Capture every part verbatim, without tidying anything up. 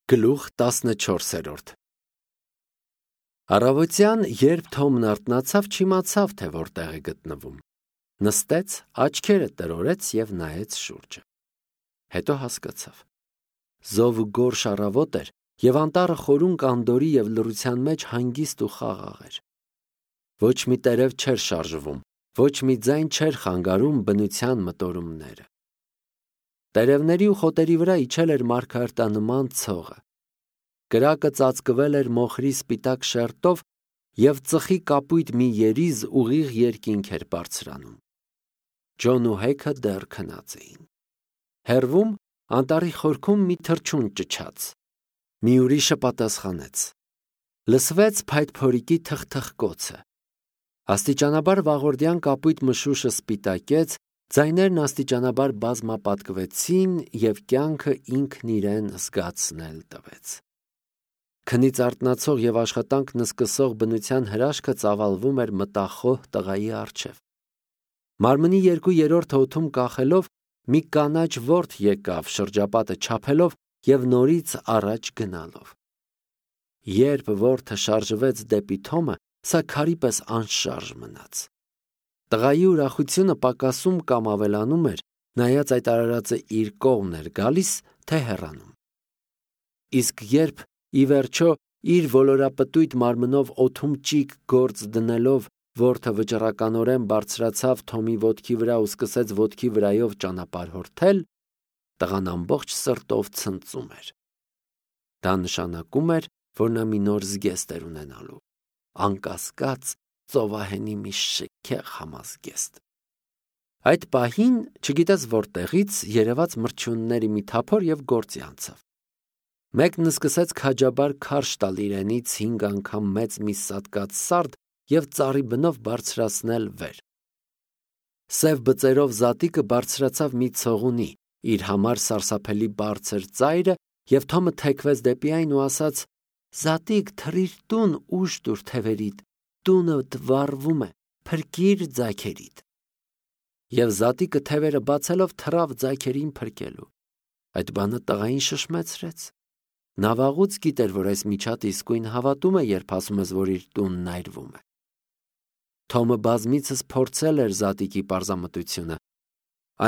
Գլուխ տասնչորսերորդ Առավոտյան, երբ Թոմն արթնացավ, չիմացավ, թե որտեղ է գտնվում։ Նստեց, աչքերը տրորեց և նայեց շուրջը։ Հետո հասկացավ։ Զով ու գորշ առավոտ էր, և անտառը խորուն կանդորի և լռության մեջ հանգիստ ու խաղաղ էր։ Ոչ մի տերև չէր շարժվում, ոչ մի ձայն չէր խանգարում բնության մտորումները։ Տերևների ու խոտերի վրա իջել էր մարգարտանման ցողը։ Կրակը ծածկվել էր մոխրի սպիտակ շերտով, և ծխի կապույտ մի երիզ ուղիղ երկինք էր բարձրանում։ Ջոն ու Հեքը դեռ քնած էին։ Հեռվում, անտառի խորքում մի թռչուն ճչաց։ Մի ուրիշը պատասխանեց։ Լսվեց փայտփորիկի թխթխկոցը։ Աստիճանաբար վաղորդյան կապույտ մշուշը սպիտակեց, ձայներն աստիճանաբար բազմապատկվեցին, և կյանքը ինքն իրեն զգացնել տվեց։ Քնից արթնացող և աշխատանքն սկսող բնության հրաշքը ծավալվում էր մտախոհ տղայի առջև։ Մարմնի երկու երրորդը օդում կախելով, մի կանաչ որդ եկավ, շրջապատը չափելով և նորից առաջ գնալով։ Երբ որդը շարժվեց դեպի Թոմը, սա քարի պես անշարժ մնաց։ Տղայի ուրախությունը պակասում կամ ավելանում էր, նայած այդ արարածը իր կողմն էր գալիս, թե հեռանում։ Իսկ երբ, ի վերջո, իր ոլորապտույտ մարմնով օդում ճիգ գործ դնելով, որդը վճռականորեն բարձրացավ Թոմի ոտքի վրա ու սկսեց ոտքի վրայով ճանապարհորդել, տղան ամբողջ սրտով ցնծում էր։ Դա նշանակում էր, որ նա մի նոր զգեստ էր ունենալու, անկասկած ծովահենի մի շքեղ համազգեստ։ Այդ պահին, չգիտես որտեղից, երևաց մրջյունների մի թափոր և գործի անցավ։ Մեկն սկսեց քաջաբար քարշ տալ իրենից հինգ անգամ մեծ մի սատկած սարդ և ծառի բնով բարձրացնել վեր։ Սև բծերով զատիկը բարձրացավ մի ցողունի, իր համար սարսափելի բարձր ծայրը, և Թոմը թեքվեց դեպի այն ու ասաց. «Զատիկ, թռիր տուն, ուժ տուր թևերիդ, տունդ վառվում է, փրկիր ձագերիդ»։ Եվ զատիկը թևերը բացելով թռավ ձագերին փրկելու։ Այդ բանը տղային շշմեցրեց։ Նա վաղուց գիտեր, որ այս միջատը իսկույն հավատում է, երբ ասում ես, որ իր տունն այրվում է։ Թոմը բազմիցս փորձել էր զատիկի պարզամտությունը։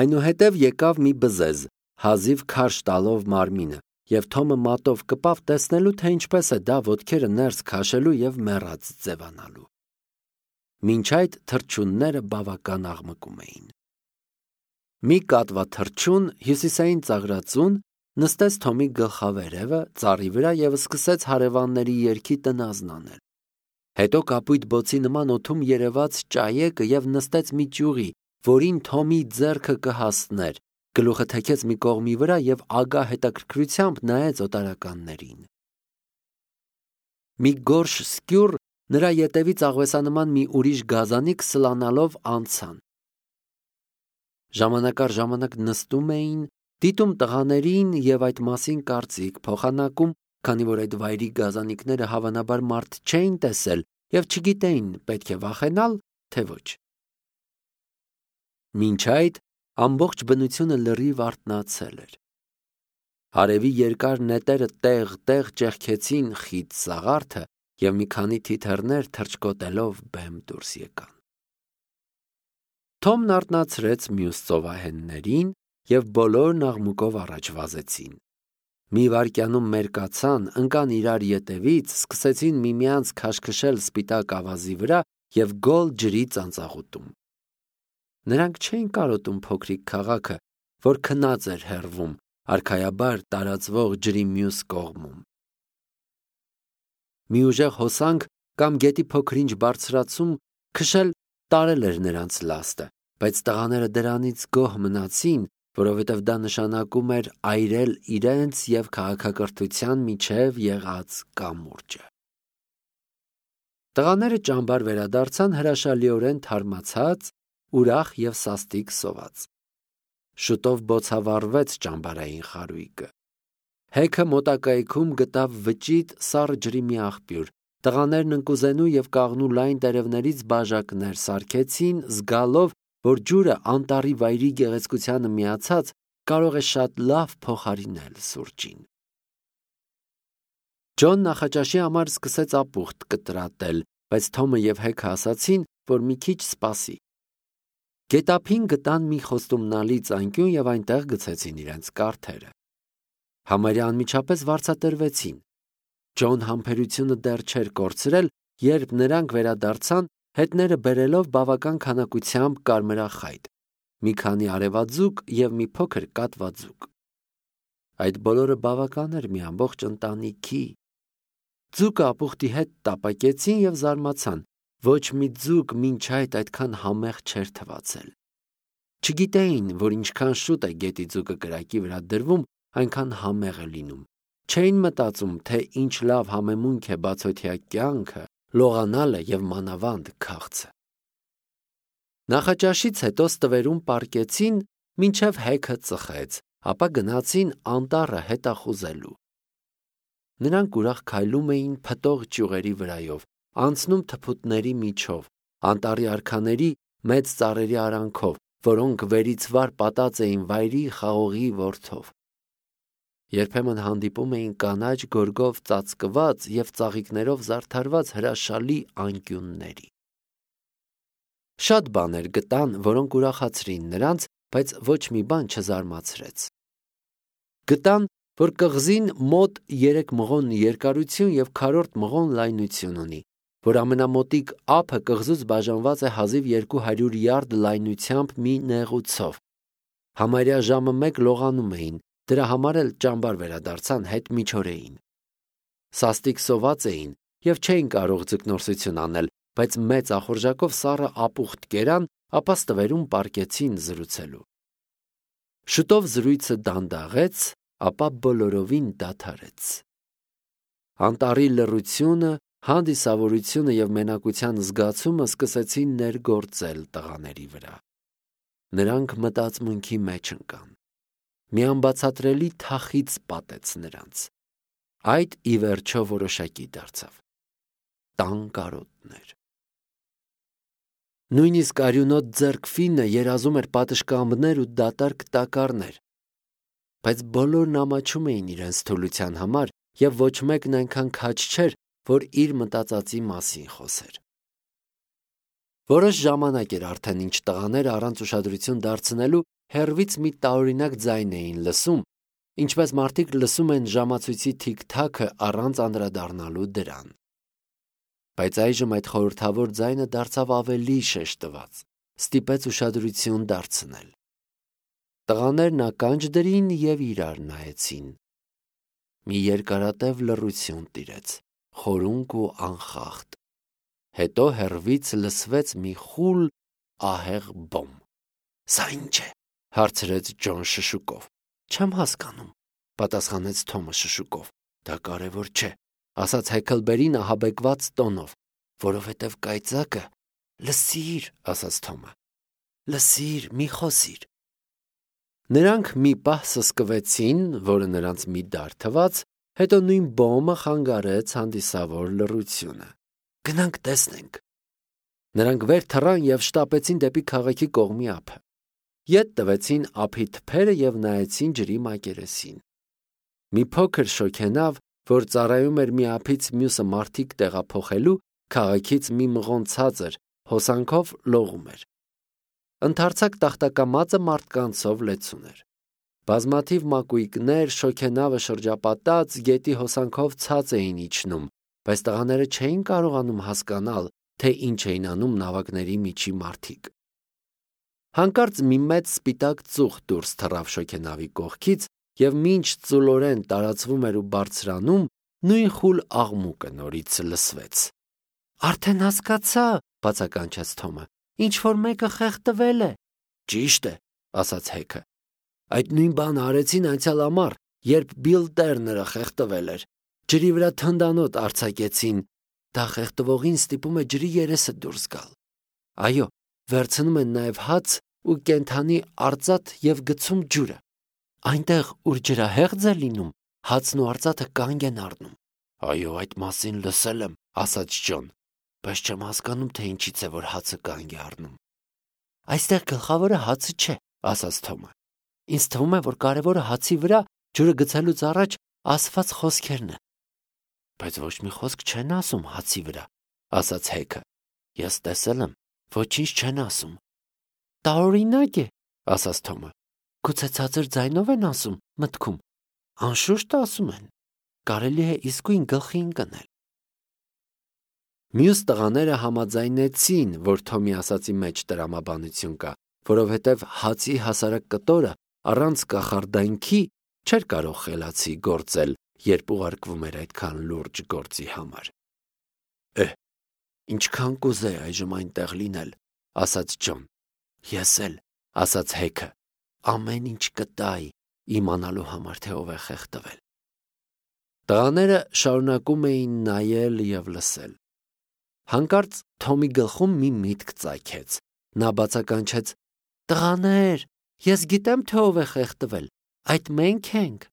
Այնուհետև եկավ մի բզեզ, հազիվ քարշ տալով մարմինը, և Թոմը մատով կպավ տեսնելու, թե ինչպես է դա ոտքերը ներս քաշելու և մեռած ձևանալու։ Մինչ այդ թռչունները բավական աղմկում էին։ Մի կատվա թռչուն, հյուսիսային ծաղրածուն, նստեց Թոմի գլխավերևը, ծառի վրա և սկսեց հարևանների երգի տնազն անել։ Հետո կապույտ բոցի նման օդում երևաց ճայեկը և նստեց մի ճյուղի, որին Թոմի ձեռքը կհասներ, գլուխը թեքեց մի կողմի վրա և ագահ հետաքրքրությամբ նայեց օտարականներին։ Մի գորշ սկյուռ նրա ետևից աղվեսանման մի ուրիշ գազանիկ սլանալով անցան։ Ժամանակ առ ժամանակ նստում էին, դիտում տղաներին և այդ մասին կարծիք փոխանակում, քանի որ այդ վայրի գազանիկները հավանաբար մարդ չէին տեսել և չգիտեին պետք է վախենալ, թե ոչ։ Մինչ այդ ամբողջ բնությունը լրիվ արթնացել էր։ Արևի երկար նետերը տեղ-տեղ ճեղքեցին խիտ սաղարթը, և մի քանի թիթեռներ թռչկոտելով բեմ դուրս եկան։ Թոմն արթնացրեց մյուս ծովահեններին, և բոլորն աղմուկով առաջ վազեցին։ Մի վայրկյանում մերկացան, ընկան իրար ետևից, սկսեցին միմյանց քաշքշել սպիտակ ավազի վրա և գոլ ջրի ծանծաղուտում։ Նրանք չէին կարոտում փոքրիկ քաղաքը, որ քնած էր հեռվում, արքայաբար տարածվող ջրի մյուս կողմում։ Մի ուժեղ հոսանք կամ գետի փոքր-ինչ բարձրացում քշել տարել էր նրանց լաստը, բայց տղաները դրանից գոհ մնացին, որովհետև դա նշանակում էր այրել իրենց և քաղաքակրթության միջև եղած կամուրջը։ Տղաները ճամբար վերադարձան հրաշալիորեն թարմացած, ուրախ և սաստիկ սոված։ Շուտով բոցավառվեց ճամբարային խարույկը։ Հեքը մոտակայքում գտավ վճիտ սառը ջրի մի աղբյուր։ Տղաներն ընկուզենու և կաղնու լայն տերևներից բաժակներ սարքեցին, զգալով, որ ջուրը անտառի վայրի գեղեցկությանը միացած կարող է շատ լավ փոխարինել սուրճին։ Ջոն նախաճաշի համար սկսեց ապուխտ կտրատել, բայց Թոմը և Հեքը ասացին, որ մի քիչ սպասի։ Գետափին գտան մի խոստումնալի ծանկյուն և այնտեղ գցեցին իրենց կարթերը։ Համարյա անմիջապես վարձատրվեցին։ Ջոն համբերությունը դեռ չէր կորցրել, երբ նրանք վերադարձան, հետները բերելով բավական քանակությամբ կարմրախայտ, մի քանի արևաձուկ և մի փոքր կատվաձուկ։ Այդ բոլորը բավական էր մի ամբողջ ընտանիքի։ Ձուկը ապուխտի հետ տապակեցին և զարմացան, ոչ մի ձուկ մինչ այդ այդքան համեղ չէր թվացել։ Չգիտեին, որ ինչքան շուտ է գետի ձուկը կրակի վրա դրվում, այնքան համեղ է լինում։ Չէին մտածում, թե ինչ լավ համեմունք է բացօթյա կյանքը, լողանալը և մանավանդ քաղցը։ Նախաճաշից հետո ստվերում պառկեցին, մինչև Հեքը ծխեց, ապա գնացին անտառը հետախուզելու։ Նրանք ուրախ քայլում էին փտող ճյուղերի վրայով, անցնում թփուտների միջով, անտառի արքաների մեծ ծառերի արանքով, որոնք վերից վար պատած էին վայրի խաղողի որդով։ Երբեմն հանդիպում էին կանաչ գորգով ծածկված և ծաղիկներով զարդարված հրաշալի անկյունների։ Շատ բաներ գտան, որոնք ուրախացրին նրանց, բայց ոչ մի բան չզարմացրեց։ Գտան, որ կղզին մոտ երեք մղոն երկարություն և քառորդ մղոն լայնություն ունի, որ ամենամոտիկ ափը կղզուց բաժանված է հազիվ երկու հարյուր յարդ լայնությամբ մի նեղուցով։ Համարյա ժամը մեկ լողանում էին, դրա համար էլ ճամբար վերադարձան հետ միջօրեին։ Սաստիկ սոված էին և չէին կարող ձկնորսություն անել, բայց մեծ ախորժակով սառը ապուխտ կերան, ապա ստվերում պառկեցին զրուցելու։ Շուտով զրույցը դանդաղեց, ապա բոլորովին դադարեց։ Անտառի լռությունը, հանդիսավորությունը և մենակության զգացումը սկսեցին ներգործել տղաների վրա։ Նրանք մտածմունքի մեջ ընկան։ Մի անբացատրելի թախիծ պատեց նրանց։ Այդ ի վերջո որոշակի դարձավ։ Տան կարոտներ։ Նույնիսկ արյունոտ ձեռքֆինը երազում էր պատշգամբներ ու դատարկ տակառներ։ Բայց բոլորն ամաչում էին իրենց թուլության համար, և ոչ մեկն այնքան քաջ չէր, որ իր մտածածի մասին խոսեր։ Որոշ ժամանակ էր արդեն, ինչ տղաները առանց ուշադրություն դարձնելու հեռվից մի տարօրինակ ձայն էին լսում, ինչպես մարդիկ լսում են ժամացույցի թիք-թաքը առանց անդրադառնալու դրան։ Բայց այժմ այդ խորհրդավոր ձայնը դարձավ ավելի շեշտված, ստիպեց ուշադրություն դարձնել։ Տղաներն ականջ դրին և իրար նայեցին։ Մի երկարատև լռություն տիրեց, խորունկ ու անխախտ։ Հետո հեռվից լսվեց մի խուլ ահեղ բոմ։ «Սա ի՞նչ է», հարցրեց Ջոն շշուկով։ «Չեմ հասկանում», պատասխանեց Թոմը շշուկով։ «Դա կարևոր չէ», ասաց Հեքլբերին ահաբեկված տոնով, «որովհետև կայծակը…» «Լսիր», ասաց Թոմը, «լսիր, մի խոսիր»։ Նրանք մի պահ սսկվեցին, որը նրանց մի դար թվաց, հետո նույն բոմը խանգարեց հանդիսավոր լռությունը։ «Գնանք տեսնենք»։ Նրանք վեր թռան և շտապեցին դեպի քաղաքի կողմի ափը։ Ետ տվեցին ափի թփերը և նայեցին ջրի մակերեսին։ Մի փոքր շոգենավ, որ ծառայում էր մի ափից մյուսը մարդիկ տեղափոխելու, քաղաքից մի մղոն ցածր հոսանքով լողում էր։ Ընդարձակ տախտակամածը մարդկանցով լեցուն էր։ Բազմաթիվ մակույկներ, շոգենավը շրջապատած, գետի հոսանքով ցած էին իջնում, բայց տղաները չէին կարողանում հասկանալ, թե ինչ էին անում նավակների միջի մարդիկ։ Հանկարծ մի մեծ սպիտակ ծուխ դուրս թռավ շոգենավի կողքից, և մինչ ծուլորեն տարածվում էր ու բարձրանում, նույն խուլ աղմուկը նորից լսվեց։ «Արդեն հասկացա», բացականչեց Թոմը, «ինչ-որ մեկը խեղդվել է»։ «Ճիշտ է», ասաց Հեքը։ «Այդ նույն բանը արեցին անցյալ ամառ, երբ Բիլ Տերները խեղդվել էր։ Ջրի վրա թնդանոթ արձակեցին։ Դա խեղդվողին ստիպում է ջրի երեսը դուրս գալ։ Այո, վերցնում են նաև հաց ու կենդանի արծաթ և գցում ջուրը։ Այնտեղ, ուր ջրահեղձ է լինում, հացն ու արծաթը կանգ են առնում»։ «Այո, այդ մասին լսել եմ», ասաց Ջոն, «բայց չեմ հասկանում, թե ինչից է, որ հացը կանգ է առնում»։ «Այստեղ գլխավորը հացը չէ», ասաց Թոմը։ «Ինձ թվում է, որ կարևորը հացի վրա ջուրը գցելուց առաջ ասված խոսքերն են»։ Բայց ոչ մի խոսք չեն ասում հացի վրա, ասաց Հեքը։ Ես տեսել եմ, ոչինչ չեն ասում։ Տարօրինակ է, ասաց Թոմը։ Գուցե ցածր ձայնով են ասում, մտքում։ Անշուշտ ասում են։ Կարելի է իսկույն գլխի ընկնել։ Մյուս տղաները համաձայնեցին, որ Թոմի ասացի մեջ տրամաբանություն կա, որովհետև հացի հասարակ կտորը առանց կախարդանքի չէր կարող խելացի գործել, երբ ուղարկվում էր այդքան լուրջ գործի համար։ Էհ, ինչքան կուզեի այժմ այնտեղ լինել, ասաց Ջոն։ Ես էլ, ասաց Հեքը, ամեն ինչ կտայի իմանալու համար, թե ով է խեղդվել։ Տղաները շարունակում էին նայել և լսել։ Հանկարծ Թոմի գլխում մի միտք ծագեց։ Նա բացականչեց. Տղաներ, ես գիտեմ, թե ով է խեղդվել, այդ մենք ենք։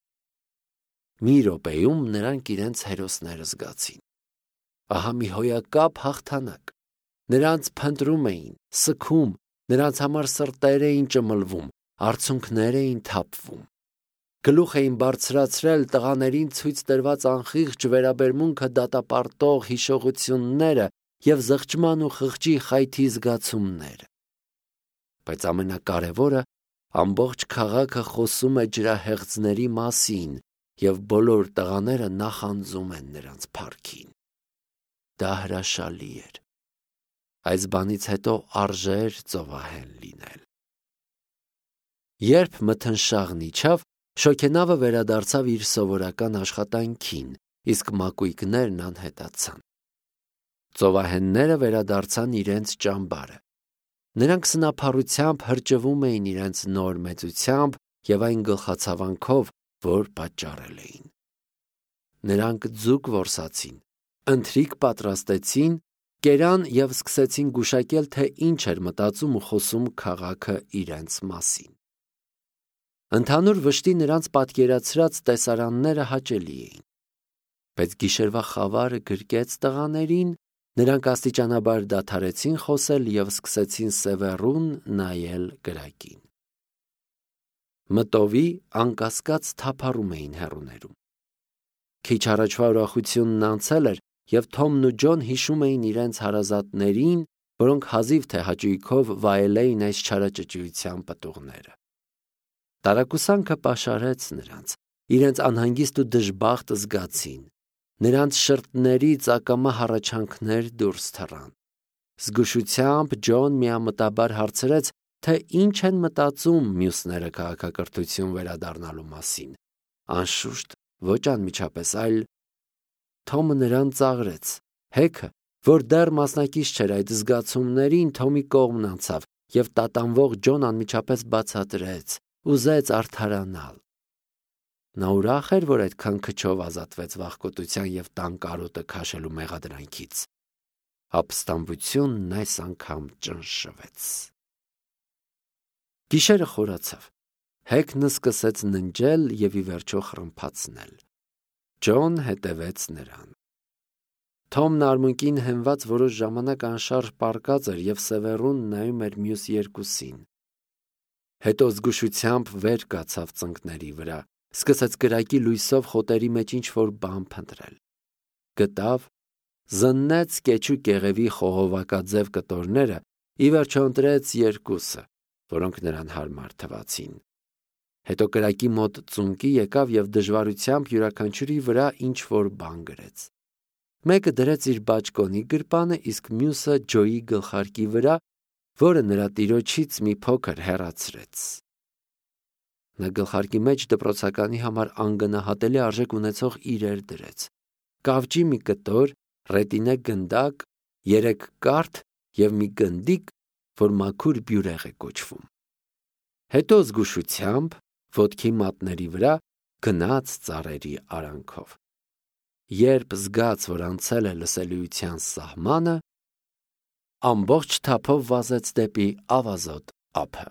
Մի րոպեում նրանք իրենց հերոսները զգացին։ Ահա մի հոյակապ հաղթանակ։ Նրանց փնտրում էին, սգում, նրանց համար սրտեր էին ճմլվում, արցունքներ էին թափվում։ Գլուխ էին բարձրացրել տղաներին ցույց տրված անխիղճ վերաբերմունքը դատապարտող հիշողությունները և զղջման ու խղճի խայթի զգացումները։ Բայց ամենակարևորը, ամբողջ քաղաքը խոսում է ջրահեղձների մասին, և բոլոր տղաները նախանձում են նրանց փառքին։ Դա հրաշալի էր։ Այս բանից հետո արժե էր ծովահեն լինել։ Երբ մթնշաղն իջավ, շոգենավը վերադարձավ իր սովորական աշխատանքին, իսկ մակույկներն անհետացան։ Ծովահենները վերադարձան իրենց ճամբարը։ Նրանք սնափառությամբ հրճվում էին իրենց նոր մեծությամբ և այն գլխացավանքով, որ պատճառել էին։ Նրանք ձուկ որսացին, ընթրիք պատրաստեցին, կերան և սկսեցին գուշակել, թե ինչ էր մտածում ու խոսում քաղաքը իրենց մասին։ Ընդհանուր վշտի նրանց պատկերացրած տեսարանները հաճելի էին։ Բայց գիշերվա խավարը գրկեց տղաներին, նրանք աստիճանաբար դադարեցին խոսել և սկսեցին սևեռուն նայել կրակին։ Մտովի անկասկած թափառում էին հեռուներում։ Քիչ առաջվա ուրախությունն անցել էր, և Թոմն ու Ջոն հիշում էին իրենց հարազատներին, որոնք հազիվ թե հաճույքով վայել էին այս չարաճճիության պտուղները։ Տարակուսանքը պաշարեց նրանց, իրենց անհանգիստ ու դժբախտ զգացին, նրանց շրթներից ակամա հառաչանքներ դուրս թռան։ Զգուշությամբ Ջոն միամտաբար հարցրեց, թե ինչ են մտածում մյուսները քաղաքակրթություն վերադառնալու մասին։ Անշուշտ ոչ անմիջապես, այլ… Թոմը նրան ծաղրեց։ Հեքը, որ դեռ մասնակից չէր այդ զգացումներին, Թոմի կողմն անցավ, և տատանվող Ջոն անմիջապես բացատրեց, ուզեց արդարանալ։ Նա ուրախ էր, որ այդքան քչով ազատվեց վախկոտության և տան կարոտը քաշելու մեղադրանքից։ Ապստամբությունն այս անգամ ճնշվեց։ Գիշերը խորացավ։ Հեքն սկսեց ննջել և ի վերջո խռմփացնել։ Ջոն հետևեց նրան։ Թոմն արմունկին հենված որոշ ժամանակ անշարժ պառկած էր և սևեռուն նայում էր մյուս երկուսին։ Հետո զգուշությամբ վեր կացավ ծնկների վրա, սկսեց կրակի լույսով խոտերի մեջ ինչ-որ բան փնտրել։ Գտավ, զննեց կեչու կեղևի խողովակաձև կտորները, ի վերջո ընտրեց երկուսը, որոնք նրան հարմար թվացին։ Հետո կրակի մոտ ծունկի եկավ և դժվարությամբ յուրաքանչյուրի վրա ինչ-որ բան գրեց։ Մեկը դրեց իր բաճկոնի գրպանը, իսկ մյուսը Ջոյի գլխարկի վրա, որը նրա տիրոջից մի փոքր հեռացրեց։ Նա գլխարկի մեջ դպրոցականի համար անգնահատելի արժեք ունեցող իրեր դրեց. կավճի մի կտոր, ռետինե գնդակ, երեք կարթ և մի գնդիկ, որ մաքուր բյուրեղ է կոչվում։ Հետո զգուշությամբ, ոտքի մատների վրա, գնաց ծառերի արանքով։ Երբ զգաց, որ անցել է լսելիության սահմանը, ամբողջ թափով վազեց դեպի ավազոտ ափը։